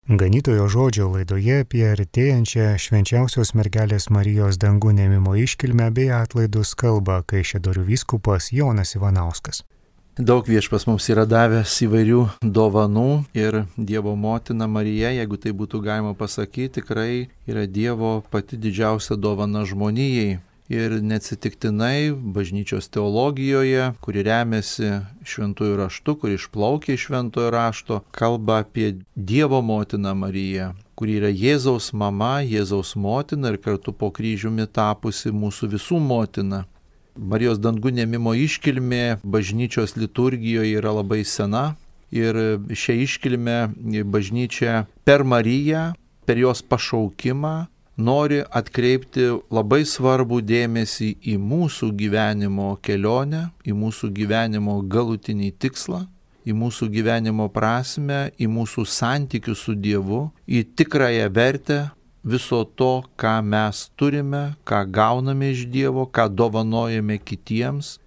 Ganytojo žodžio laidoje apie artėjančią švenčiausios mergelės Marijos dangun ėmimo iškilmę bei atlaidus kalba Kaišiadorių vyskupas Jonas Ivanauskas. Daug Viešpats mums yra davęs įvairių dovanų ir Dievo motina Marija, jeigu tai būtų galima pasakyti, tikrai yra Dievo pati didžiausia dovana žmonijai. Ir neatsitiktinai bažnyčios teologijoje, kuri remiasi šventųjų raštu, kuri išplaukia iš šventojo rašto, kalba apie Dievo motiną Mariją, kuri yra Jėzaus mama, Jėzaus motina ir kartu po kryžiumi tapusi mūsų visų motina. Marijos dangun ėmimo iškilmė bažnyčios liturgijoje yra labai sena ir šią iškilmę bažnyčia per Mariją, per jos pašaukimą, nori atkreipti labai svarbų dėmesį į mūsų gyvenimo kelionę, į mūsų gyvenimo galutinį tikslą, į mūsų gyvenimo prasmę, į mūsų santykius su Dievu, į tikrąją vertę viso to, ką mes turime, ką gauname iš Dievo, ką dovanojame kitiems,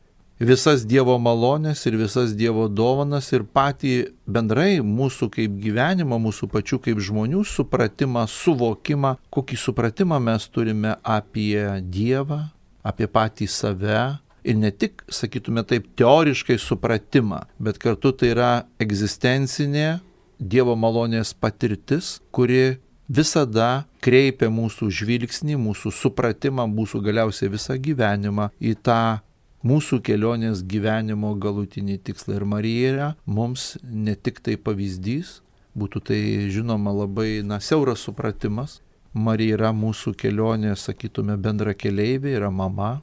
visas Dievo malonės ir visas Dievo dovanas ir patį bendrai mūsų kaip gyvenimą, mūsų pačių kaip žmonių supratimą, suvokimą, kokį supratimą mes turime apie Dievą, apie patį save ir ne tik, sakytume taip, teoriškai supratimą, bet kartu tai yra egzistencinė Dievo malonės patirtis, kuri visada kreipia mūsų žvilgsnį, mūsų supratimą, mūsų galiausiai visą gyvenimą į tą mūsų kelionės gyvenimo galutinį tikslą. Ir Marija yra mums ne tik tai pavyzdys, būtų tai žinoma labai siauras supratimas. Marija yra mūsų kelionės, sakytume, bendra keleivė, yra mama.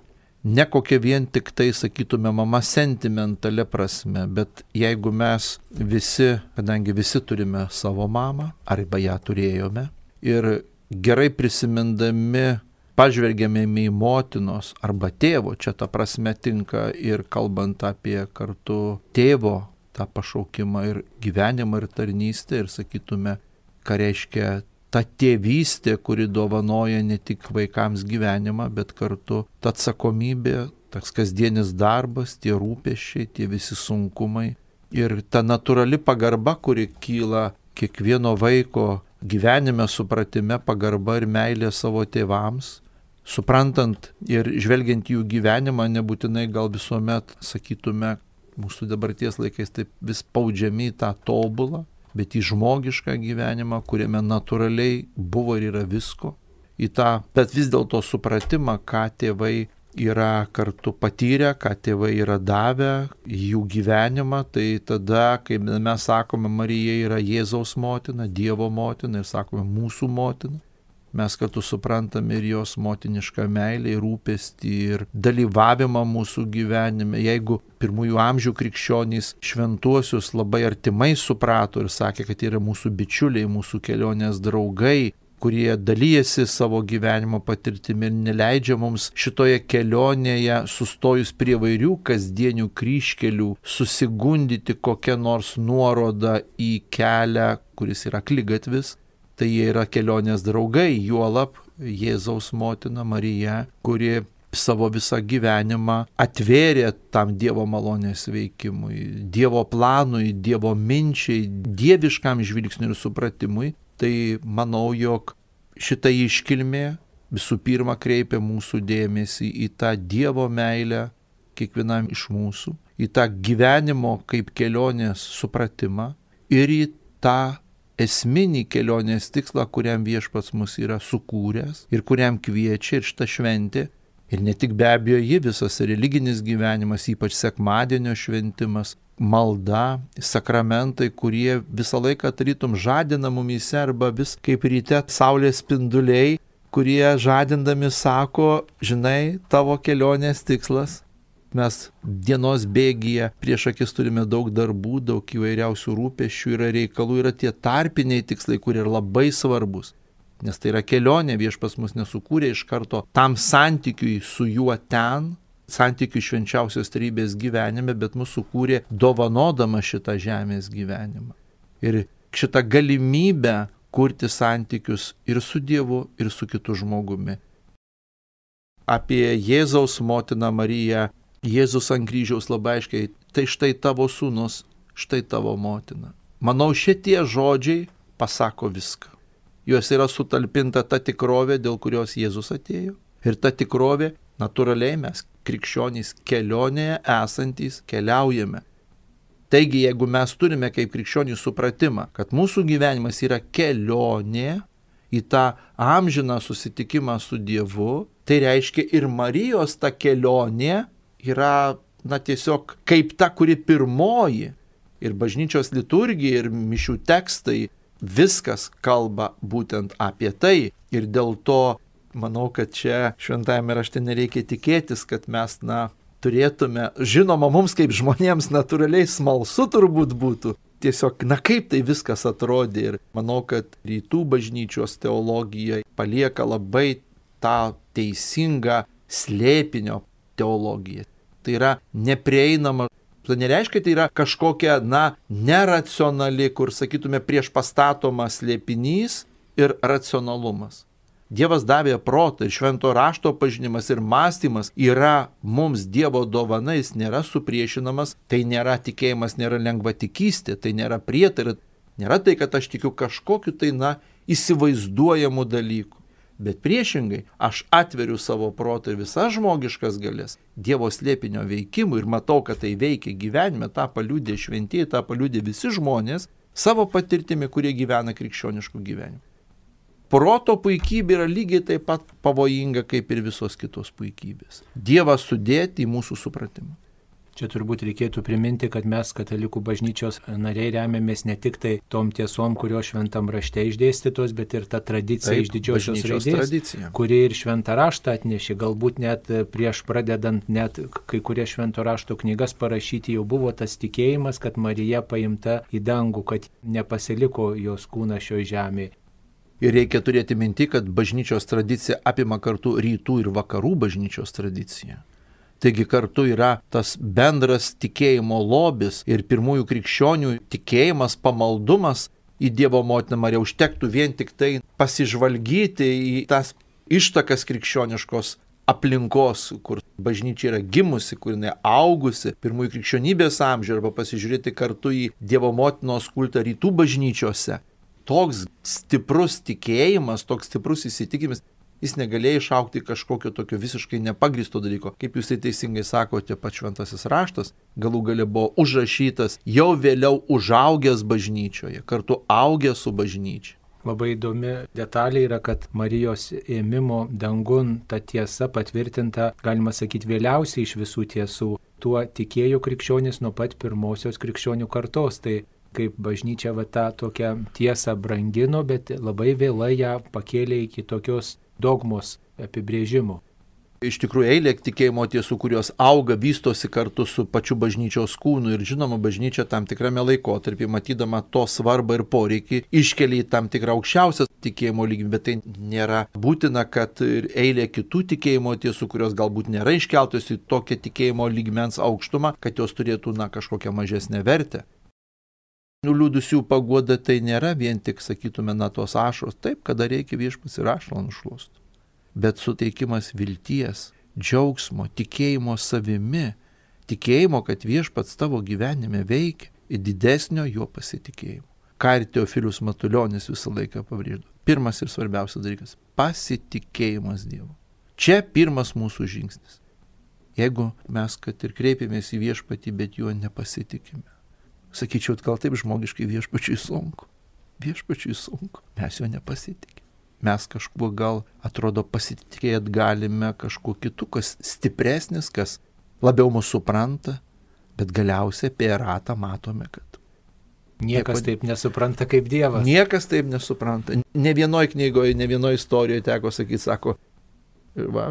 Ne kokia vien tik tai, sakytume, mama sentimentalė prasme, bet jeigu mes visi, kadangi visi turime savo mamą, arba ją turėjome, ir gerai prisimindami pažvelgiame į motinos arba tėvo, čia ta prasme tinka ir kalbant apie kartu tėvo tą pašaukimą ir gyvenimą ir tarnystę ir sakytume, ką reiškia ta tėvystė, kuri dovanoja ne tik vaikams gyvenimą, bet kartu ta atsakomybė, tas kasdienis darbas, tie rūpesčiai, tie visi sunkumai ir ta natūrali pagarba, kuri kyla kiekvieno vaiko gyvenime, supratime, pagarba ir meilė savo tėvams. Suprantant ir žvelgiant jų gyvenimą, nebūtinai gal visuomet, sakytume, mūsų dabarties laikais taip vis spaudžiami į tą tobulą, bet į žmogišką gyvenimą, kuriame natūraliai buvo ir yra visko, į tą, bet vis dėlto supratimą, ką tėvai yra kartu patyrę, ką tėvai yra davę, jų gyvenimą, tai tada, kai mes sakome, Marija yra Jėzaus motina, Dievo motina ir sakome mūsų motina, mes kartu suprantame ir jos motinišką meilę, rūpestį ir dalyvavimą mūsų gyvenime. Jeigu pirmųjų amžių krikščionys šventuosius labai artimai suprato ir sakė, kad yra mūsų bičiuliai, mūsų kelionės draugai, kurie dalyjasi savo gyvenimo patirtimi ir neleidžia mums šitoje kelionėje, sustojus prie vairių kasdienių kryžkelių, susigundyti kokią nors nuorodą į kelią, kuris yra akligatvis. Tai jie yra kelionės draugai, juolab Jėzaus motina Marija, kuri savo visą gyvenimą atvėrė tam Dievo malonės veikimui, Dievo planui, Dievo minčiai, dieviškam žvilgsniui ir supratimui. Tai manau, jog šita iškilmė visų pirma kreipia mūsų dėmesį į tą Dievo meilę kiekvienam iš mūsų, į tą gyvenimo kaip kelionės supratimą ir į tą esminį kelionės tikslą, kuriam Viešpats mus yra sukūręs ir kuriam kviečia ir šita šventė. Ir ne tik be abejo ji, visas religinis gyvenimas, ypač sekmadienio šventimas, malda, sakramentai, kurie visą laiką tarytum žadina mumyse arba vis kaip ryte saulės spinduliai, kurie žadindami sako, žinai, tavo kelionės tikslas. Mes dienos bėgyje prieš akis turime daug darbų, daug įvairiausių rūpesčių, yra reikalų, yra tie tarpiniai tikslai, kurie yra labai svarbus. Nes tai yra kelionė, Viešpats mus nesukūrė iš karto tam santykiui su juo ten, santykiui švenčiausios trejybės gyvenime, bet mus sukūrė dovanodama šitą žemės gyvenimą. Ir šitą galimybę kurti santykius ir su Dievu, ir su kitu žmogumi. Apie Jėzaus motiną Mariją Jėzus ant kryžiaus labai aiškiai, tai štai tavo sūnus, štai tavo motina. Manau, šitie žodžiai pasako viską. Juose yra sutalpinta ta tikrovė, dėl kurios Jėzus atėjo. Ir ta tikrovė, natūraliai mes, krikščionys kelionėje esantys, keliaujame. Taigi, jeigu mes turime kaip krikščionys supratimą, kad mūsų gyvenimas yra kelionė į tą amžiną susitikimą su Dievu, tai reiškia ir Marijos ta kelionė yra, tiesiog kaip ta, kuri pirmoji. Ir bažnyčios liturgija, ir mišių tekstai, viskas kalba būtent apie tai. Ir dėl to, manau, kad čia šventajame rašte nereikia tikėtis, kad mes, turėtume, žinoma, mums kaip žmonėms natūraliai smalsu turbūt būtų. Tiesiog, kaip tai viskas atrodė. Ir manau, kad rytų bažnyčios teologija palieka labai tą teisingą slėpinio teologiją. Tai yra neprieinama. Tai nereiškia, tai yra kažkokia, neracionali, kur, sakytume, prieš pastatomas slėpinys ir racionalumas. Dievas davė protą ir švento rašto pažinimas ir mąstymas yra mums Dievo dovana, jis nėra supriešinamas, tai nėra tikėjimas, nėra lengvatikystė, tai nėra prietara, nėra tai, kad aš tikiu kažkokiu tai, įsivaizduojamų dalykų. Bet priešingai, aš atveriu savo protą ir visas žmogiškas galės Dievo slėpinio veikimui ir matau, kad tai veikia gyvenime, tą paliudė šventieji, tą paliudė visi žmonės savo patirtimi, kurie gyvena krikščioniškų gyvenimų. Proto puikybė yra lygiai taip pat pavojinga kaip ir visos kitos puikybės. Dievą sudėti į mūsų supratimą. Čia turbūt reikėtų priminti, kad mes katalikų bažnyčios nariai remiamės ne tik tai tom tiesom, kurios šventam rašte išdėstytos, bet ir ta tradicija iš didžiosios raidės, kuri ir šventą raštą atnešė. Galbūt net prieš pradedant net kai kurie švento rašto knygas parašyti jau buvo tas tikėjimas, kad Marija paimta į dangų, kad nepasiliko jos kūnas šioje žemėje. Ir reikia turėti minti, kad bažnyčios tradicija apima kartu rytų ir vakarų bažnyčios tradiciją. Taigi kartu yra tas bendras tikėjimo lobis ir pirmųjų krikščionių tikėjimas, pamaldumas į Dievo motiną Mariją. Užtektų vien tik tai pasižvalgyti į tas ištakas krikščioniškos aplinkos, kur bažnyčia yra gimusi, kur jinai augusi pirmųjų krikščionybės amžiuje, arba pasižiūrėti kartu į Dievo motinos kultą rytų bažnyčiose. Toks stiprus tikėjimas, toks stiprus įsitikimas, jis negalėjo išaukti kažkokio tokio visiškai nepagristo dalyko. Kaip jūs tai teisingai sakote, pats šventasis raštas galų gale buvo užrašytas jau vėliau užaugęs bažnyčioje, kartu augęs su bažnyčia. Labai įdomi detalė yra, kad Marijos ėmimo dangun ta tiesa patvirtinta, galima sakyti, vėliausiai iš visų tiesų. Tuo tikėjo krikščionys nuo pat pirmosios krikščionių kartos. Tai kaip bažnyčia tą tokią tiesą brangino, bet labai vėlai ją pakėlė iki tokios dogmos apibrėžimo. Iš tikrųjų, eilė tikėjimo tiesų, kurios auga, vystosi kartu su pačiu bažnyčios kūnu ir žinoma, bažnyčia tam tikrame laikotarpį, matydama to svarbą ir poreikį, iškelia į tam tikrą aukščiausią tikėjimo lygį, bet tai nėra būtina, kad ir eilė kitų tikėjimo tiesų, kurios galbūt nėra iškeltos į tokią tikėjimo lygmens aukštumą, kad jos turėtų kažkokią mažesnę vertę. Nuliūdusių paguoda tai nėra vien tik, sakytume, tos ašros, taip, kada reikia viešpats ir ašarą nušluostų. Bet suteikimas vilties, džiaugsmo, tikėjimo savimi, tikėjimo, kad viešpats tavo gyvenime veikia ir didesnio jo pasitikėjimo. Ką ir Teofilius Matulionis visą laiką pabrėždavo. Pirmas ir svarbiausias dalykas – pasitikėjimas Dievu. Čia pirmas mūsų žingsnis. Jeigu mes, kad ir kreipiamės į viešpatį, bet juo nepasitikime. Sakyčiau, gal taip žmogiškai viešpačiui sunku. Viešpačiui sunku. Mes jo nepasitikime. Mes kažkuo gal atrodo pasitikėti galime kažkuo kitu, kas stipresnis, kas labiau mūsų supranta, bet galiausiai apie ratą matome, kad niekas taip nesupranta kaip Dievas. Niekas taip nesupranta. Ne vienoj knygoje, ne vienoj istorijoje teko sakyti, sako,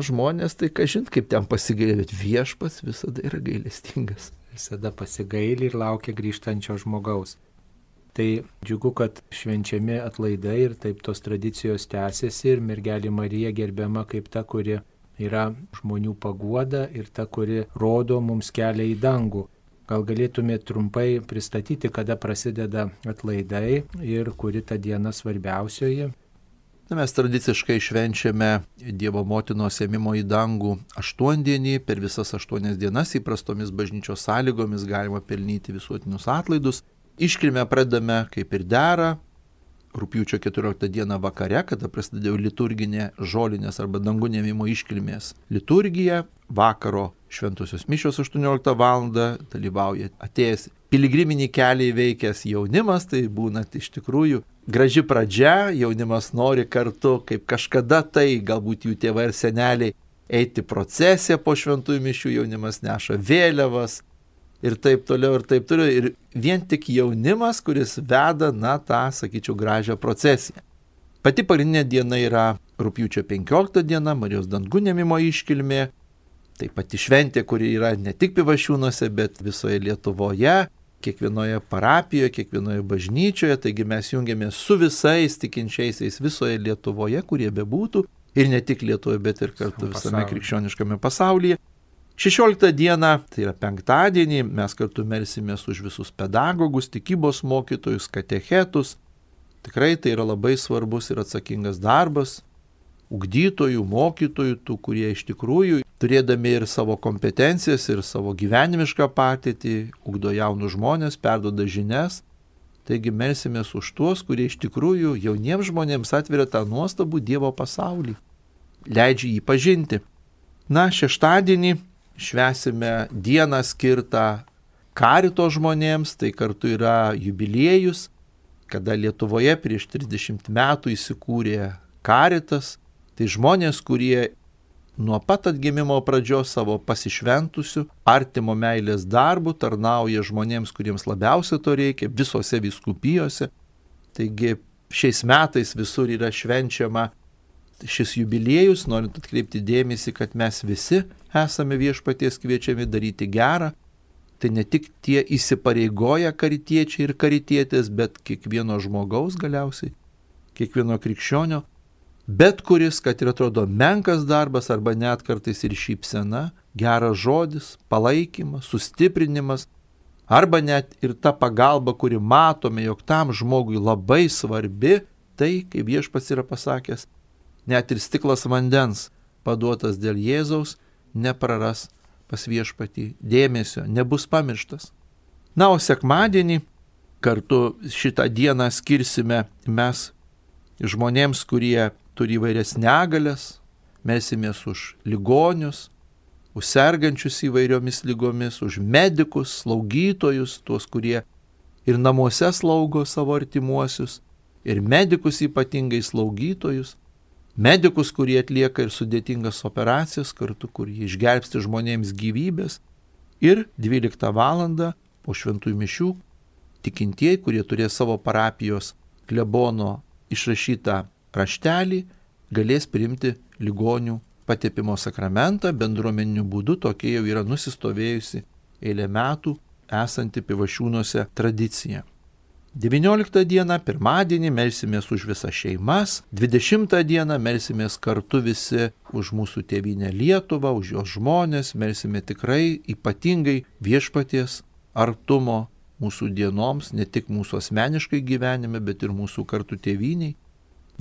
žmonės tai kažin kaip ten pasigailė, bet viešpats visada yra gailestingas. Visada pasigaili ir laukia grįžtančio žmogaus. Tai džiugu, kad švenčiami atlaidai ir taip tos tradicijos tęsiasi ir mergelė Marija gerbiama kaip ta, kuri yra žmonių paguoda ir ta, kuri rodo mums kelią į dangų. Gal galėtumėte trumpai pristatyti, kada prasideda atlaidai ir kuri ta diena svarbiausioji? Mes tradiciškai švenčiame Dievo motinos ėmimo į dangų 8 dienį, per visas 8 dienas įprastomis bažnyčios sąlygomis galima pelnyti visuotinius atlaidus. Iškilmę pradame kaip ir dera, rugpjūčio 14 dieną vakare, kada prasidėjo liturginė žolinės arba dangų ėmimo iškilmės liturgija. Vakaro šventosios mišios 18 val. Dalyvauja atėjęs piligriminį kelią įveikęs jaunimas, tai būna iš tikrųjų graži pradžia, jaunimas nori kartu, kaip kažkada tai, galbūt jų tėvai ir seneliai, eiti procesiją po šventųjų mišių, jaunimas neša vėliavas ir taip toliau, ir taip toliau. Ir vien tik jaunimas, kuris veda, tą, sakyčiau, gražią procesiją. Pati pagrindinė diena yra rugpjūčio 15 diena, Marijos dangų ėmimo iškilmė. Tai pati šventė, kuri yra ne tik Pivašiūnuose, bet visoje Lietuvoje, kiekvienoje parapijoje, kiekvienoje bažnyčioje. Taigi mes jungiamės su visais tikinčiaisiais visoje Lietuvoje, kurie bebūtų. Ir ne tik Lietuvoje, bet ir kartu visame krikščioniškame pasaulyje. 16 dieną, tai yra penktadienį, mes kartu melsimės už visus pedagogus, tikybos mokytojus, katechetus. Tikrai tai yra labai svarbus ir atsakingas darbas. Ugdytojų, mokytojų, tų, kurie iš tikrųjų, turėdami ir savo kompetencijas, ir savo gyvenimišką patirtį, ugdo jaunus žmonės, perduoda žinias. Taigi melsimės už tuos, kurie iš tikrųjų jauniems žmonėms atveria tą nuostabų Dievo pasaulį, leidžia jį pažinti. Šeštadienį švęsime dieną skirtą karito žmonėms, tai kartu yra jubiliejus, kada Lietuvoje prieš 30 metų įsikūrė karitas. Tai žmonės, kurie nuo pat atgimimo pradžios savo pasišventusių, artimo meilės darbų tarnauja žmonėms, kuriems labiausiai to reikia, visose vyskupijose. Taigi šiais metais visur yra švenčiama šis jubiliejus, norint atkreipti dėmesį, kad mes visi esame Viešpaties kviečiami daryti gerą. Tai ne tik tie įsipareigoję karitiečiai ir karitietės, bet kiekvieno žmogaus galiausiai, kiekvieno krikščionio. Bet kuris, kad ir atrodo menkas darbas arba net kartais ir šypsena, geras žodis, palaikymas, sustiprinimas, arba net ir ta pagalba, kuri matome, jog tam žmogui labai svarbi, tai, kaip Viešpats yra pasakęs, net ir stiklas vandens paduotas dėl Jėzaus nepraras pas Viešpatį dėmesio, nebus pamirštas. O sekmadienį kartu šitą dieną skirsime mes žmonėms, kurie turi įvairias negalias, melsimės už ligonius, už sergančius įvairiomis lygomis, už medikus, slaugytojus, tuos, kurie ir namuose slaugo savo artimuosius, ir medikus ypatingai slaugytojus, medikus, kurie atlieka ir sudėtingas operacijas kartu, kurie išgelbsti žmonėms gyvybės. Ir 12 val. Po šventųjų mišių tikintieji, kurie turės savo parapijos klebono išrašytą raštelį, galės priimti ligonių patepimo sakramentą bendruomeniniu būdu. Tokia jau yra nusistovėjusi eilę metų esanti Pivašiūnuose tradicija. 19 dieną, pirmadienį, melsimės už visas šeimas. 20 dieną melsimės kartu visi už mūsų tėvynę Lietuvą, už jos žmonės. Melsime tikrai ypatingai Viešpaties artumo mūsų dienoms, ne tik mūsų asmeniškai gyvenime, bet ir mūsų kartu tėvyniai.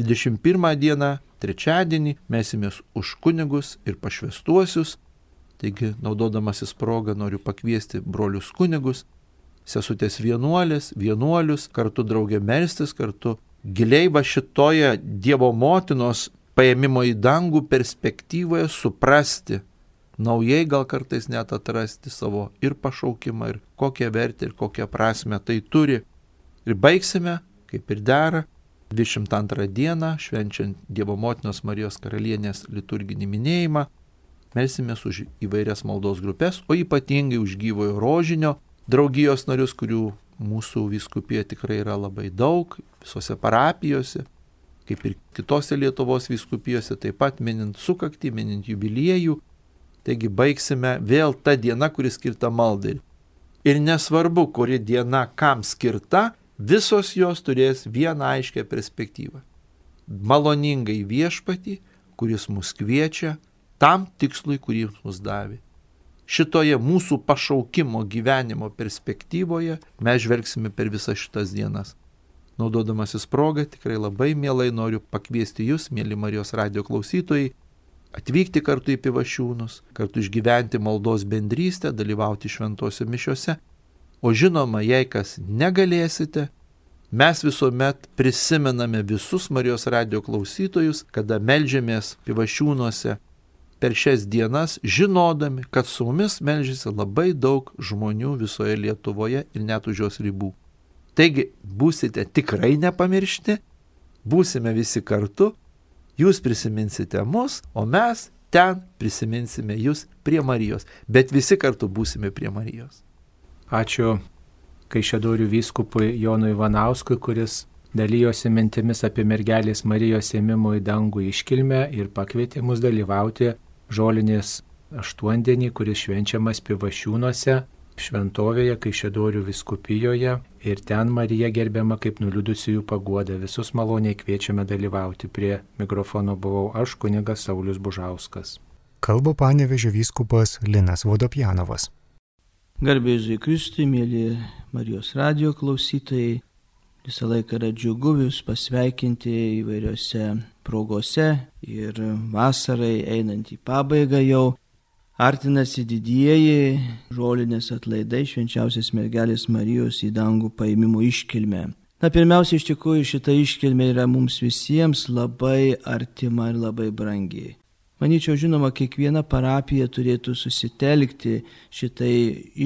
21 dieną, trečiadienį, melsimės už kunigus ir pašvęstuosius. Taigi, naudodamasis progą, noriu pakviesti brolius kunigus, sesutės vienuolės, vienuolius, kartu draugė melstis, kartu giliai va šitoje Dievo motinos paėmimo į dangų perspektyvoje suprasti, naujai gal kartais net atrasti savo ir pašaukimą, ir kokią vertę, ir kokią prasmę tai turi. Ir baigsime, kaip ir dera, 22 dieną, švenčiant Dievo motinos Marijos karalienės liturginį minėjimą, melsimės už įvairias maldos grupės, o ypatingai už gyvojo rožinio draugijos narius, kurių mūsų vyskupijoje tikrai yra labai daug, visose parapijose, kaip ir kitose Lietuvos vyskupijose, taip pat minint sukaktį, minint jubiliejų. Taigi baigsime vėl tą dieną, kuri skirta maldai. Ir nesvarbu, kuri diena kam skirta, visos jos turės vieną aiškę perspektyvą. Maloningai Viešpatį, kuris mus kviečia tam tikslui, kurį mus davė. Šitoje mūsų pašaukimo gyvenimo perspektyvoje mes žvelgsime per visas šitas dienas. Naudodamasis progą, tikrai labai mielai noriu pakviesti jūs, mieli Marijos radijo klausytojai, atvykti kartu į Pivašiūnus, kartu išgyventi maldos bendrystę, dalyvauti šventose mišiose. O žinoma, jei kas negalėsite, Mes visuomet prisimename visus Marijos radijo klausytojus, kada meldžiamės Pivašiūnuose per šias dienas, žinodami, kad su mumis meldžiasi labai daug žmonių visoje Lietuvoje ir net už jos ribų. Taigi, būsite tikrai nepamiršti, būsime visi kartu, jūs prisiminsite mus, o mes ten prisiminsime jūs prie Marijos, bet visi kartu būsime prie Marijos. Ačiū Kaišiadorių vyskupui Jonui Ivanauskui, kuris dalyjosi mintimis apie mergelės Marijos ėmimo į dangų iškilmę ir pakvietė mus dalyvauti žolinės aštuondienį, kuris švenčiamas Pivašiūnuose, šventovėje Kaišiadorių vyskupijoje, ir ten Marija gerbiama kaip nuliūdusiųjų paguoda. Visus maloniai kviečiame dalyvauti. Prie mikrofono buvau aš, kunigas Saulius Bužauskas. Kalba Panevėžio vyskupas Linas Vodopjanovas. Garbė Jėzui Kristui, mėly Marijos radijo klausytojai, visą laiką yra džiugu jūs pasveikinti įvairiose progose ir vasarai einant į pabaigą jau artinasi didieji žolinės atlaidai švenčiausios mergelės Marijos į dangų paėmimo iškilmė. Pirmiausia, iš tikrųjų šita iškilmė yra mums visiems labai artima ir labai brangi. Manyčiau, žinoma, kiekviena parapija turėtų susitelkti šitai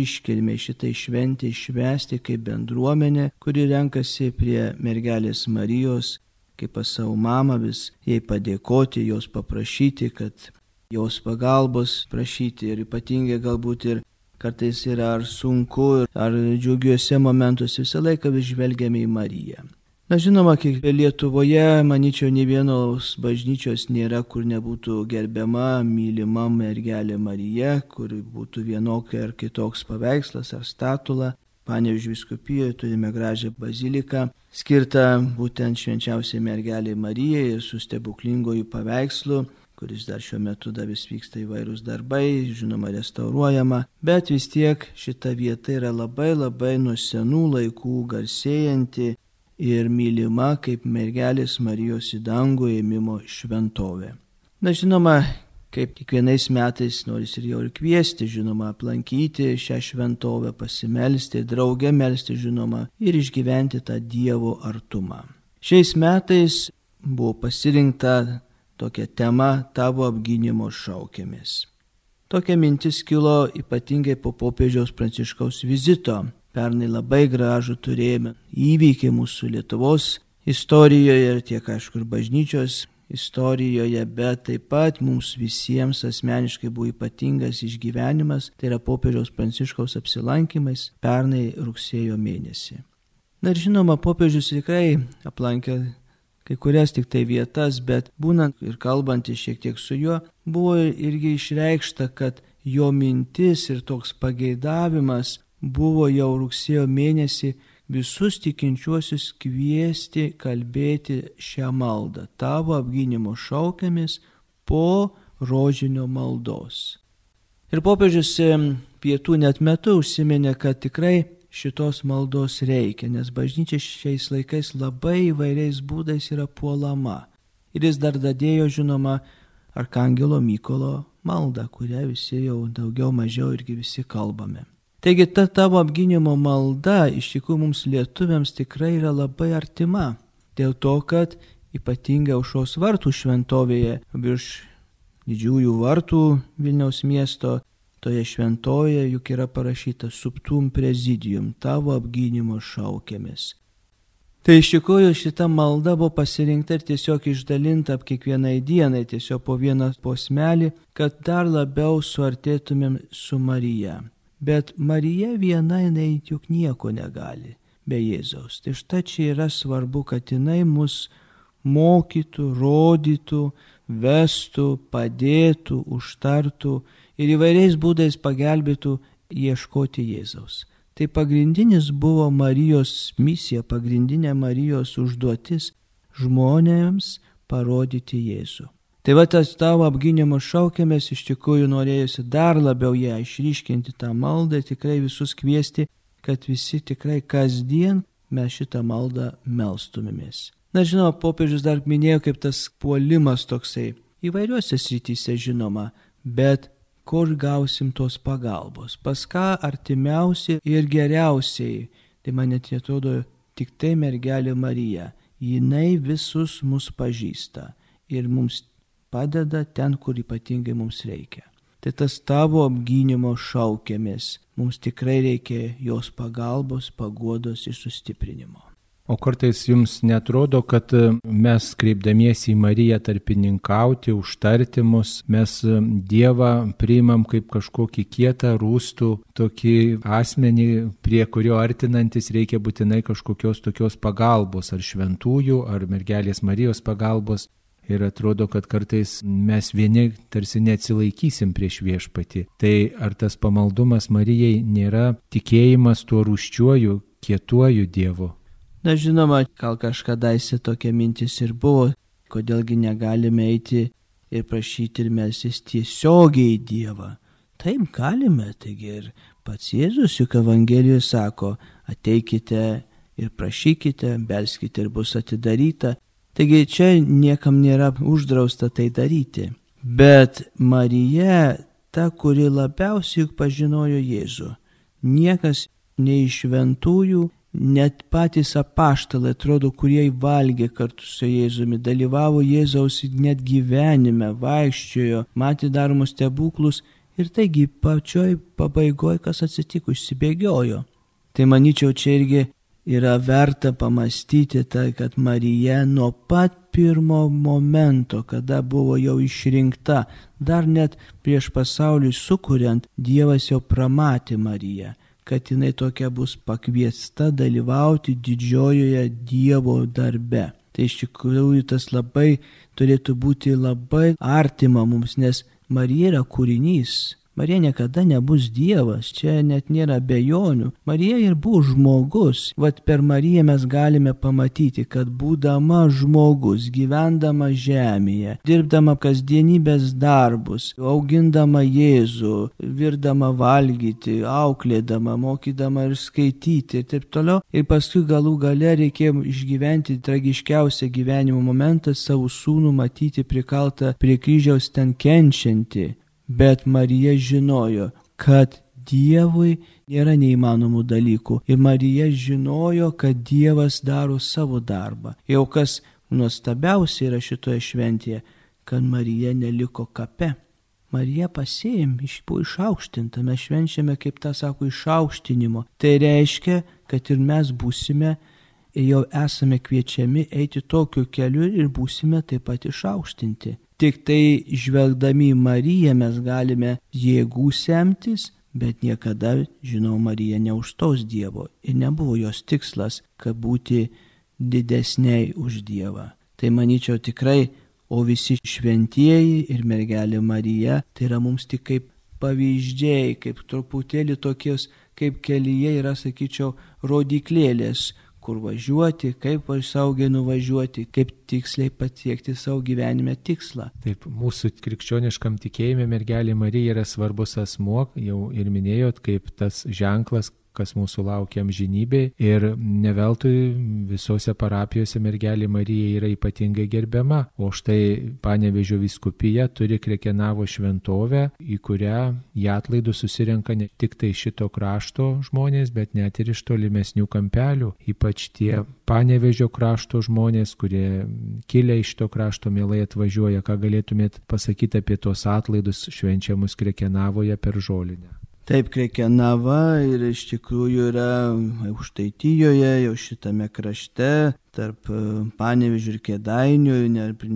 iškilmei, šitai šventai švęsti kaip bendruomenė, kuri renkasi prie mergelės Marijos, kaip pas savo mamą vis jai padėkoti, jos paprašyti, kad jos pagalbos prašyti, ir ypatingai galbūt ir kartais yra ar sunku, ar džiugiuose momentuose visą laiką vis žvelgiame į Mariją. Žinoma, kiek Lietuvoje, manyčiau, nei vienos bažnyčios nėra, kur nebūtų gerbiama, mylima mergelė Marija, kur būtų vienokia ar kitoks paveikslas ar statula. Panevėžio vyskupijoje turime gražią baziliką, skirtą būtent švenčiausiai mergelei Marijai ir su stebuklingojų paveikslu, kuris dar šiuo metu dar vis vyksta įvairūs darbai, žinoma, restauruojama, bet vis tiek šita vieta yra labai nuo senų laikų garsėjanti ir mylima kaip mergelės Marijos į dangų ėmimo šventovė. Žinoma, kaip kiekvienais metais noris ir jau ir kviesti, žinoma, aplankyti šią šventovę, pasimelsti, drauge melsti, žinoma, ir išgyventi tą Dievo artumą. Šiais metais buvo pasirinkta tokia tema tavo apgynimo šaukėmis. Tokia mintis kilo ypatingai po popiežiaus Pranciškaus vizito. Pernai labai gražų turėjome įvykį mūsų Lietuvos istorijoje ir tiek, aišku, ir bažnyčios istorijoje, bet taip pat mums visiems asmeniškai buvo ypatingas išgyvenimas, tai yra popiežiaus Pranciškaus apsilankymais pernai rugsėjo mėnesį. Ir žinoma, popiežius tikrai aplankė kai kurias tik tai vietas, bet būnant ir kalbantys šiek tiek su juo, buvo irgi išreikšta, kad jo mintis ir toks pageidavimas buvo jau rugsėjo mėnesį visus tikinčiuosius kviesti kalbėti šią maldą, tavo apgynimo šaukėmis po rožinio maldos. Ir popiežius pietų net metu užsiminė, kad tikrai šitos maldos reikia, nes bažnyčia šiais laikais labai įvairiais būdais yra puolama. Ir jis dar dadėjo, žinoma, Arkangelo Mykolo maldą, kurią visi jau daugiau mažiau irgi visi kalbame. Taigi ta tavo apgynimo malda iš tikrųjų mums lietuviams tikrai yra labai artima, dėl to, kad ypatingai Aušros vartų šventovėje virš didžiųjų vartų Vilniaus miesto, toje šventovėje juk yra parašyta subtum prezidium, tavo apgynimo šaukėmis. Tai iš tikrųjų šita malda buvo pasirinkta ir tiesiog išdalinta kiekvienai dienai, tiesiog po vieną posmelį, kad dar labiau suartėtumėm su Marija. Bet Marija viena, jinai juk nieko negali be Jėzaus. Tai štai čia yra svarbu, kad jinai mus mokytų, rodytų, vestų, padėtų, užtartų ir įvairiais būdais pagelbėtų ieškoti Jėzaus. Tai pagrindinis buvo Marijos misija, pagrindinė Marijos užduotis žmonėms parodyti Jėzų. Tai va tas tavo apgynimo šaukėmės iš tikrųjų norėjusi dar labiau ją išryškinti tą maldą ir tikrai visus kviesti, kad visi tikrai kasdien mes šitą maldą melstumėmės. Žinoma, popiežius dar minėjo, kaip tas puolimas toksai įvairiuose srityse žinoma, bet kur gausim tos pagalbos, pas ką artimiausiai ir geriausiai, tai man net atrodo tik tai mergelė Marija. Jinai visus mus pažįsta ir mums padeda ten, kur ypatingai mums reikia. Tai tas tavo apgynimo šaukiamės. Mums tikrai reikia jos pagalbos, paguodos ir sustiprinimo. O kartais jums netrodo, kad mes kreipdamiesi į Mariją tarpininkauti, užtarti mus, mes Dievą priimam kaip kažkokį kietą, rūstų, tokį asmenį, prie kurio artinantis reikia būtinai kažkokios tokios pagalbos, ar šventųjų, ar mergelės Marijos pagalbos. Ir atrodo, kad kartais mes vieni tarsi neatsilaikysim prieš viešpatį. Tai ar tas pamaldumas Marijai nėra tikėjimas tuo rūsčiuoju, kietuoju Dievu? Na žinoma, gal kažkadaise tokia mintis ir buvo, kodėlgi negalime eiti ir prašyti ir melstis tiesiogiai į Dievą. Taip galime, taigi ir pats Jėzus juk Evangelijoje sako, ateikite ir prašykite, belskite ir bus atidaryta. Taigi čia niekam nėra uždrausta tai daryti. Bet Marija, ta, kuri labiausiai juk pažinojo Jėzų, niekas nei iš šventųjų, net patys apaštalai, atrodo, kurie valgė kartu su Jėzumi, dalyvavo Jėzaus net gyvenime, vaikščiojo, matė daromus stebuklus ir taigi pačioj pabaigoje, kas atsitiko, išsibėgiojo. Tai manyčiau, čia irgi yra verta pamastyti tai, kad Marija nuo pat pirmo momento, kada buvo jau išrinkta, dar net prieš pasauliui sukuriant, Dievas jau pramatė Mariją, kad jinai tokia bus pakviesta dalyvauti didžiojoje Dievo darbe. Tai iš tikrųjų tas labai turėtų būti labai artima mums, nes Marija yra kūrinys. Marija niekada nebus Dievas, čia net nėra abejonių. Marija ir buvo žmogus. Vat per Mariją mes galime pamatyti, kad būdama žmogus, gyvendama žemėje, dirbdama kasdienybės darbus, augindama Jėzų, virdama valgyti, auklėdama, mokydama ir skaityti ir taip toliau. Ir paskui galų gale reikėjo išgyventi tragiškiausią gyvenimo momentą, savo sūnų matyti prikaltą prie kryžiaus ten kenčiantį. Bet Marija žinojo, kad Dievui nėra neįmanomų dalykų. Ir Marija žinojo, kad Dievas daro savo darbą. Jau kas nuostabiausia yra šitoje šventėje, kad Marija neliko kape. Marija pasėjim, buvo išaukštinta. Mes švenčiame, kaip tą sako, išaukštinimo. Tai reiškia, kad ir mes būsime, jau esame kviečiami eiti tokiu keliu ir būsime taip pat išaukštinti. Tik tai žvelgdami į Mariją mes galime jėgų semtis, bet niekada, žinau, Marija neužstos Dievo. Ir nebuvo jos tikslas, kad būti didesniai už Dievą. Tai manyčiau tikrai, o visi šventieji ir mergelė Marija, tai yra mums tik kaip pavyzdžiai, kaip truputėlį tokios, kaip kelyje yra, sakyčiau, rodiklėlės, kur važiuoti, kaip saugiai nuvažiuoti, kaip tiksliai pasiekti savo gyvenime tikslą. Taip, mūsų krikščioniškam tikėjime mergelė Marija yra svarbus asmuo, jau ir minėjot, kaip tas ženklas, kas mūsų laukia amžinybėje. Ir neveltui visose parapijose mergelė Marija yra ypatingai gerbiama. O štai Panevėžio vyskupija turi Krekenavo šventovę, į kurią į atlaidus susirenka ne tik tai šito krašto žmonės, bet net ir iš tolimesnių kampelių. Ypač tie Panevėžio krašto žmonės, kurie kilę iš to krašto mielai atvažiuoja. Ką galėtumėt pasakyti apie tos atlaidus švenčiamus Krekenavoje per žolinę? Taip, Krekenava ir iš tikrųjų yra Aukštaitijoje, jau šitame krašte, tarp Panevėžio ir Kėdainių,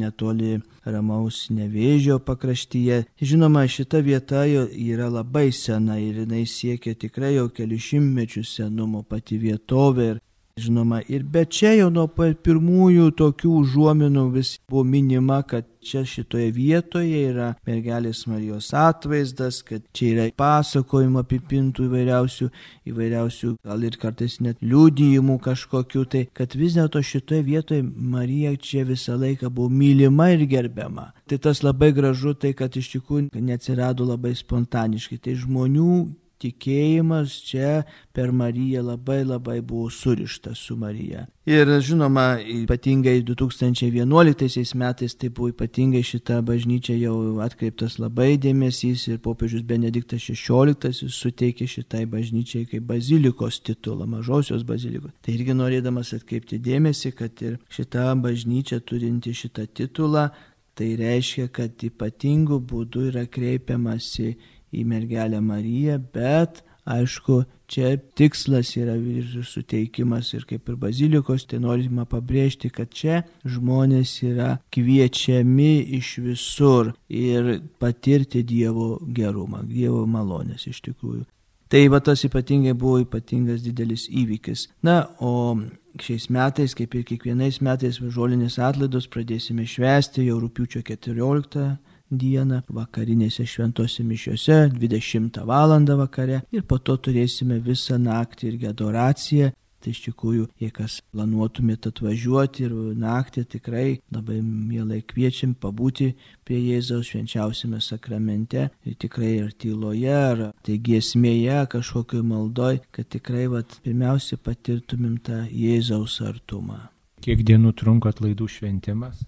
netoli Ramaus Nevėžio pakraštyje. Žinoma, šita vieta yra labai sena ir jinai siekia tikrai jau kelių šimtmečių senumo pati vietovė. Žinoma, bet čia jau nuo pirmųjų tokių užuominų vis buvo minima, kad čia šitoje vietoje yra mergelės Marijos atvaizdas, kad čia yra pasakojimų apipintų įvairiausių, gal ir kartais net liudijimų kažkokių, tai kad vis dėlto šitoje vietoje Marija čia visą laiką buvo mylima ir gerbiama. Tai tas labai gražu, tai kad iš tikrųjų neatsirado labai spontaniškai, tai žmonių tikėjimas čia per Mariją labai buvo surištas su Marija. Ir žinoma, ypatingai 2011 metais tai buvo ypatingai šita bažnyčia jau atkreiptas labai dėmesys ir popiežius Benediktas XVI suteikė šitai bažnyčiai kaip bazilikos titulą, mažosios bazilikos. Tai irgi norėdamas atkreipti dėmesį, kad ir šita bažnyčia turinti šitą titulą, tai reiškia, kad ypatingų būdų yra kreipiamasi į mergelę Mariją, bet aišku, čia tikslas yra ir suteikimas ir kaip ir bazilikos, tai norima pabrėžti, kad čia žmonės yra kviečiami iš visur ir patirti Dievo gerumą, Dievo malonės iš tikrųjų. Tai va tas ypatingai buvo ypatingas didelis įvykis. Na, o šiais metais, kaip ir kiekvienais metais, žolinės atlaidus pradėsime švęsti jau rugpjūčio 14 dieną vakarinėse šventose mišiose 20 val. Vakare ir po to turėsime visą naktį irgi adoraciją. Tai iš tikrųjų, jei kas planuotumėte atvažiuoti ir naktį, tikrai labai mielai kviečiam pabūti prie Jėzaus švenčiausiame sakramente ir tikrai ir tyloje, ar tai giesmėje, kažkokio maldoj, kad tikrai pirmiausia patirtumėm tą Jėzaus artumą. Kiek dienų trunka atlaidų šventimas?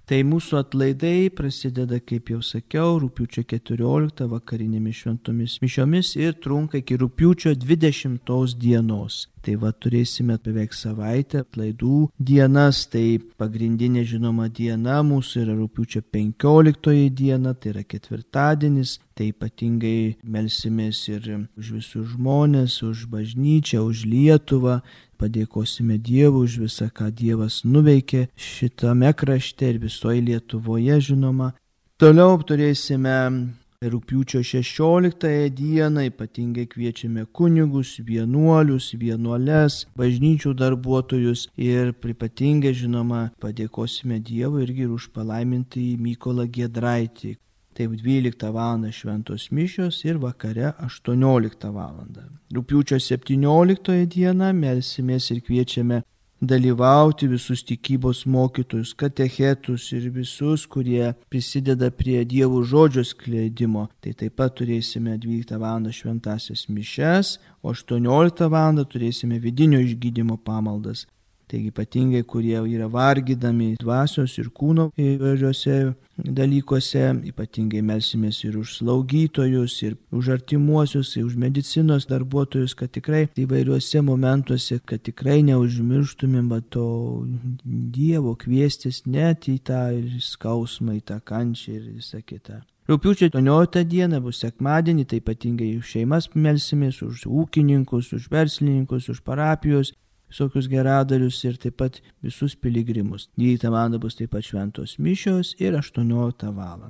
Tai mūsų atlaidai prasideda, kaip jau sakiau, rugpjūčio 14 vakarinėmis šventomis mišiomis ir trunka iki rugpjūčio 20 dienos. Tai turėsime beveik savaitę atlaidų dienas, tai pagrindinė žinoma diena mūsų yra rugpjūčio 15 diena, tai yra ketvirtadienis, tai ypatingai melsimės ir už visus žmonės, už bažnyčią, už Lietuvą, padėkosime Dievui už visą, ką Dievas nuveikė šitame krašte ir visoje Lietuvoje žinoma. Toliau turėsime rugpjūčio 16 dieną, ypatingai kviečiame kunigus, vienuolius, vienuoles, bažnyčių darbuotojus ir ypatingai žinoma padėkosime Dievui irgi už palaimintąjį Mykolą Giedraitį. Taip 12 val. Šventos mišios ir vakare 18 val. Rugpjūčio 17 dieną melsimės ir kviečiame dalyvauti visus tikybos mokytojus, katechetus ir visus, kurie prisideda prie Dievo žodžio skleidimo. Tai taip pat turėsime 12 val. Šventasias mišias, o 18 val. Turėsime vidinio išgydymo pamaldas. Taigi ypatingai, kurie yra vargydami dvasios ir kūno įvairiuose dalykuose, ypatingai melsimės ir už slaugytojus, ir už artimuosius, ir už medicinos darbuotojus, kad tikrai įvairiuose momentuose, kad tikrai neužmirštumėm to Dievo kviestis net į tą skausmą, į tą kančią ir visą kitą. Rugpjūčio 18 dieną bus sekmadienį, tai ypatingai už šeimas melsimės, už ūkininkus, už verslininkus, už parapijos, visokius geradarius ir taip pat visus piligrimus. 12 val. Bus taip pat šventos mišios ir 18 val.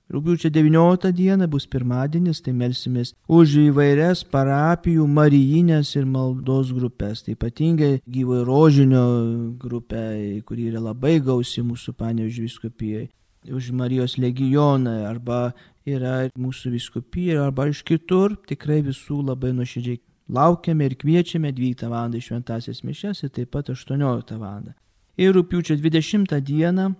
Rugpjūčio 19 dieną bus pirmadienis, tai melsimės už įvairias parapijų marijinės ir maldos grupės. Tai ypatingai Gyvojo Rožinio grupė, kuri yra labai gausi mūsų Panevėžio vyskupijoje. Už Marijos legioną arba yra mūsų vyskupijoje arba iš kitur. Tikrai visų labai nuoširdžiai laukiame ir kviečiame 12 val. Šventasias mišias ir taip pat 18 val. Ir rugpjūčio 20 dieną,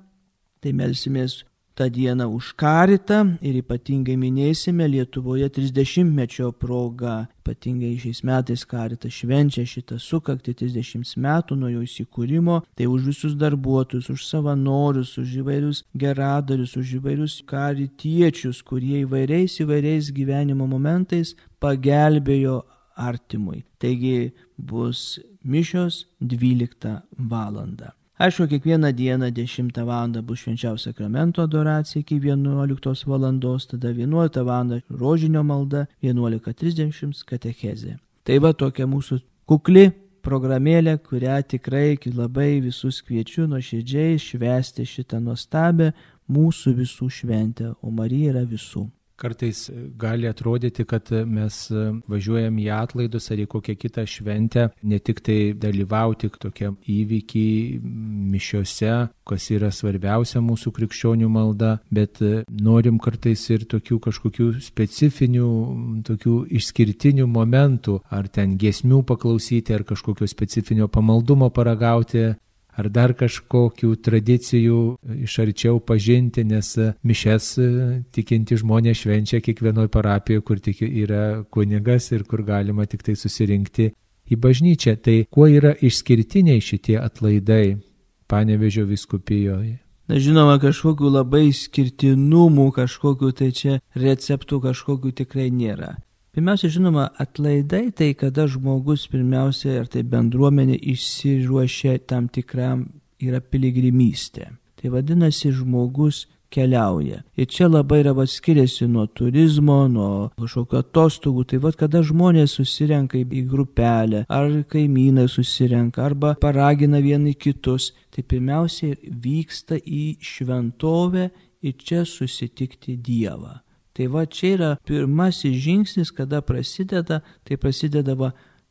tai melsimės tą dieną už karitą ir ypatingai minėsime Lietuvoje 30-mečio proga. Ypatingai šiais metais karitas švenčia šitą sukaktį 30 metų nuo jo įsikūrimo. Tai už visus darbuotojus, už savanorius, už įvairius geradarius, už įvairius karitiečius, kurie įvairiais gyvenimo momentais pagelbėjo artimui. Taigi bus mišios 12 val. Aišku, kiekvieną dieną 10 val. Bus švenčiausio sakramento adoracija iki 11 val. Tada 11 val. rožinio malda, 11:30 katechezė. Tai va tokia mūsų kukli programėlė, kurią tikrai labai visus kviečiu nuoširdžiai švęsti šitą nuostabią mūsų visų šventę, o Marija yra visų. Kartais gali atrodyti, kad mes važiuojam į atlaidus ar į kokią kitą šventę, ne tik tai dalyvauti tokiam įvykiai mišiose, kas yra svarbiausia mūsų krikščionių malda, bet norim kartais ir tokių kažkokių specifinių, tokių išskirtinių momentų, ar ten giesmių paklausyti, ar kažkokio specifinio pamaldumo paragauti, ar dar kažkokių tradicijų iš arčiau pažinti, nes mišes tikinti žmonės švenčia kiekvienoje parapijoje, kur tik yra kunigas ir kur galima tik tai susirinkti į bažnyčią. Tai kuo yra išskirtiniai šitie atlaidai Panevėžio vyskupijoje? Na, žinoma, kažkokių labai skirtinumų, kažkokių tai čia receptų kažkokių tikrai nėra. Pirmiausia, žinoma, atlaidai tai kada žmogus pirmiausia, ar tai bendruomenė išsiruošia tam tikram, yra piligrimystė. Tai vadinasi, žmogus keliauja. Ir čia labai yra skiriasi nuo turizmo, nuo kažkokio atostogų. Tai kada žmonės susirenka į grupelę, ar kaimynai susirenka, arba paragina vieni kitus, tai pirmiausia vyksta į šventovę ir čia susitikti Dievą. Tai čia yra pirmasis žingsnis, kada prasideda,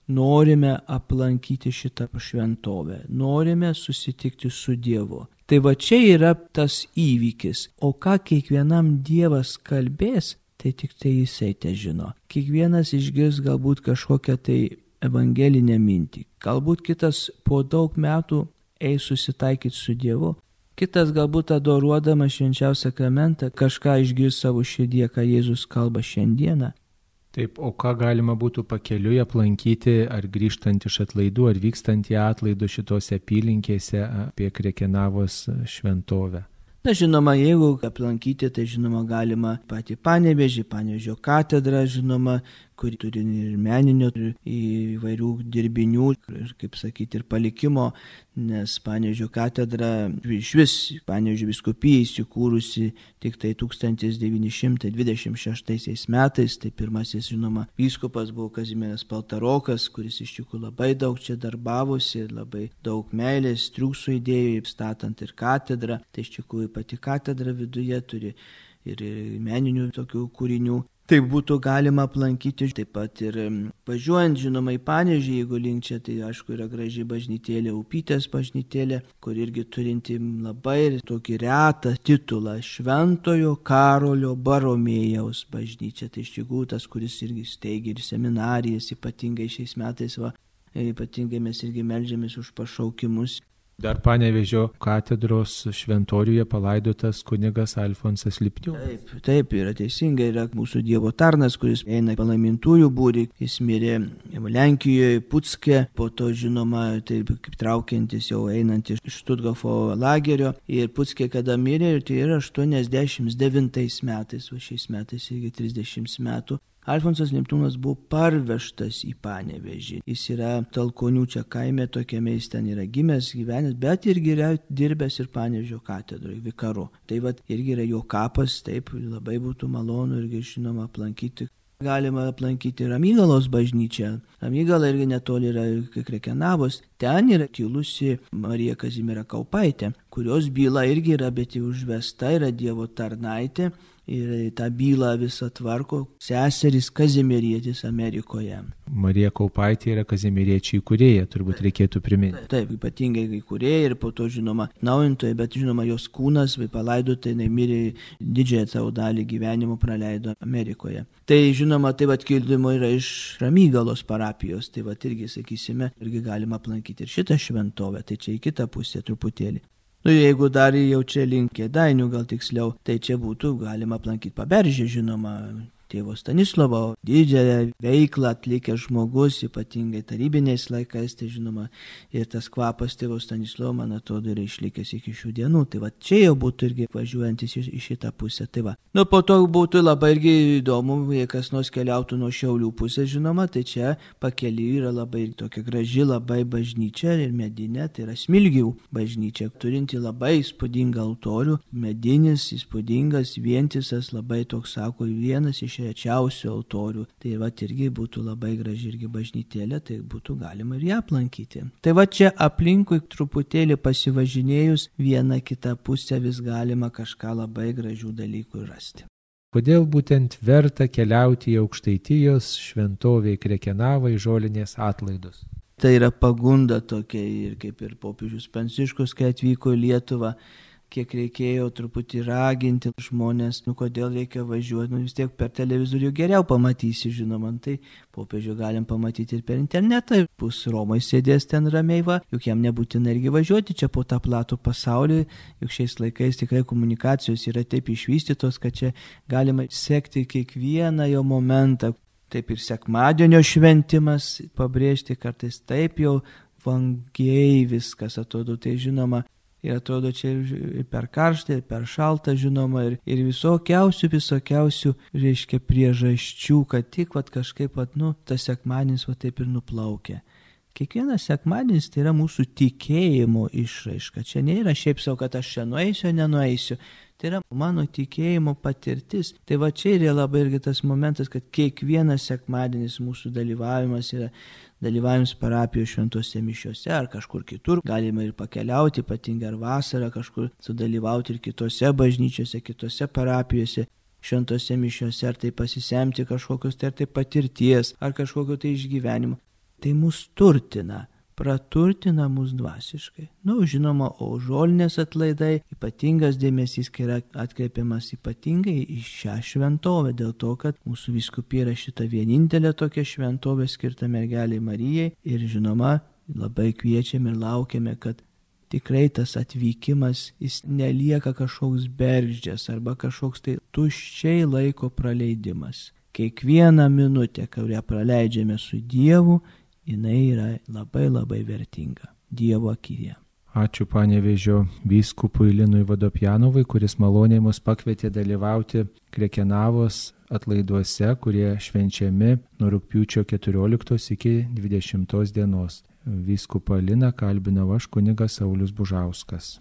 norime aplankyti šitą šventovę, norime susitikti su Dievu. Tai čia yra tas įvykis. O ką kiekvienam Dievas kalbės, tai tik tai jisai te žino. Kiekvienas išgirs galbūt kažkokią tai evangelinę mintį. Galbūt kitas po daug metų eis susitaikyti su Dievu. Kitas galbūt adoruodamas švenčiausią sakramentą kažką išgirs savo širdyje, ką Jėzus kalba šiandieną. Taip, o ką galima būtų pakeliui aplankyti, ar grįžtant iš atlaidų, ar vykstant į atlaidų šitose apylinkėse apie Krekenavos šventovę? Na, žinoma, jeigu aplankyti, tai žinoma galima patį Panevėžį, Panevėžio katedrą, žinoma, kuri turi ir meninio, ir įvairių dirbinių, ir, kaip sakyti, ir palikimo, nes Panevėžio katedra, išvis Panevėžio vyskupija įsikūrusi tik tai 1926 metais, tai pirmasis, žinoma, vyskupas buvo Kazimieras Paltarokas, kuris iš tikrųjų labai daug čia darbavosi ir labai daug meilės, triūsų įdėjo, statant ir katedrą, tai iš tikrųjų pati katedra viduje turi ir meninių tokių kūrinių. Tai būtų galima aplankyti, taip pat ir važiuojant, žinoma, į Panevėžį, jeigu link čia, tai aišku yra graži bažnytėlė, Upytės bažnytėlė, kur irgi turinti labai tokį retą titulą Šventojo Karolio Baromėjaus bažnyčia. Tai iš tikrųjų tas, kuris irgi steigia ir seminarijas, ypatingai šiais metais, ypatingai mes irgi meldžiamės už pašaukimus. Dar Panevėžio katedros šventoriuje palaidotas kunigas Alfonsas Lipniūnas. Taip, yra teisingai, yra mūsų Dievo tarnas, kuris eina į palaimintųjų būrį, jis mirė Lenkijoje, Pucke, po to žinoma, taip kaip traukiantis jau einant iš Štutgofo lagerio, ir Pucke kada mirė, tai yra 89 metais, o šiais metais irgi 30 metų. Alfonsas Lipniūnas buvo parvežtas į Panevėžį. Jis yra Talkonių čia kaime, tokiame jis ten yra gimęs, gyvenęs, bet irgi yra dirbęs ir Panevėžio katedroje, vikaru. Tai irgi yra jo kapas, taip, labai būtų malonu irgi žinoma aplankyti. Galima aplankyti Ramygalos bažnyčią. Ramygala irgi netoli yra Krekenavos. Ten yra kilusi Marija Kazimiera Kaupaitė, kurios byla irgi yra, bet jau užvesta, yra Dievo tarnaitė. Ir tą bylą visą tvarko seserys Kazimierietis Amerikoje. Marija Kaupaitė yra Kazimieriečių įkūrėja, turbūt reikėtų priminti. Taip, ypatingai įkūrėja ir po to, žinoma, naujintoja, bet, žinoma, jos kūnas palaidota, jinai mirė didžiąją savo dalį gyvenimo praleido Amerikoje. Tai, žinoma, kildymo yra iš Ramygalos parapijos, tai irgi, sakysime, irgi galima aplankyti ir šitą šventovę, tai čia į kitą pusę truputėlį. Jeigu dar jau čia link Kėdainių, gal tiksliau, tai čia būtų galima aplankyti Paberžę, žinoma, tėvo Stanislovo didžiąją veiklą atlikęs žmogus, ypatingai tarybiniais laikais, tai žinoma, ir tas kvapas tėvo Stanislovo, man atrodo, yra išlikęs iki šių dienų. Tai čia jau būtų irgi važiuojantis į šitą pusę. Tai po to būtų labai irgi įdomu, jei kas nors keliautų nuo Šiaulių pusės, žinoma, tai čia pakeliui yra labai tokia graži, labai bažnyčia ir medinė, tai yra Smilgių bažnyčia, turinti labai įspūdingą altorių, medinis, įspūdingas, vientisas, labai toks, sako, vienas iš rečiausių altorių. Tai irgi būtų labai graži irgi bažnytėlė, tai būtų galima ir ją aplankyti. Tai čia aplinkui truputėlį pasivažinėjus vieną kitą pusę vis galima kažką labai gražių dalykų rasti. Kodėl būtent verta keliauti į Aukštaitijos šventovę į Krekenavą į žolinės atlaidus? Tai yra pagunda tokia ir kaip ir popiežius Pranciškus, kai atvyko į Lietuvą, kiek reikėjo truputį raginti žmonės, kodėl reikia važiuoti, vis tiek per televizorių geriau pamatysi, žinoma, tai popiežių galim pamatyti ir per internetą, bus Romai sėdės ten ramiai, juk jam nebūtina irgi važiuoti čia po tą platų pasaulį, juk šiais laikais tikrai komunikacijos yra taip išvystytos, kad čia galima sekti kiekvieną jo momentą. Taip ir sekmadienio šventimas pabrėžti kartais taip jau vangiai viskas atrodo, tai žinoma, ir atrodo čia ir per karštą, ir per šaltą, žinoma, ir visokiausių, reiškia, priežasčių, kad tik kažkaip, tas sekmadienis taip ir nuplaukia. Kiekvienas sekmadienis tai yra mūsų tikėjimo išraiška. Čia nėra šiaip savo, kad aš čia nueisiu, nenueisiu. Tai yra mano tikėjimo patirtis. Tai čia yra labai irgi tas momentas, kad kiekvienas sekmadienis mūsų dalyvavimas yra dalyvavimas parapijos šventose mišiose ar kažkur kitur. Galima ir pakeliauti, ypatingai ar vasarą kažkur sudalyvauti ir kitose bažnyčiose, kitose parapijose. Šventose mišiose, ar tai pasisemti kažkokios tai patirties, ar kažkokio tai išgyvenimo. Tai mus turtina, praturtina mus dvasiškai. Žinoma, o žolinės atlaidai ypatingas dėmesys yra atkreipiamas ypatingai į šią šventovę, dėl to, kad mūsų vyskupija yra šita vienintelė tokia šventovė skirta mergelei Marijai ir žinoma, labai kviečiame ir laukiame, kad tikrai tas atvykimas, jis nelieka kažkoks bergždžias arba kažkoks tai tuščiai laiko praleidimas. Kiekvieną minutę, kurią praleidžiame su Dievu, jinai yra labai labai vertinga Dievo akyje. Ačiū Panevėžio vyskupui Linui Vodopjanovui, kuris maloniai mus pakvietė dalyvauti Krekenavos atlaiduose, kurie švenčiami nuo rugpjūčio 14 iki 20 dienos. Vyskupą Liną kalbinau aš, kunigas Saulius Bužauskas.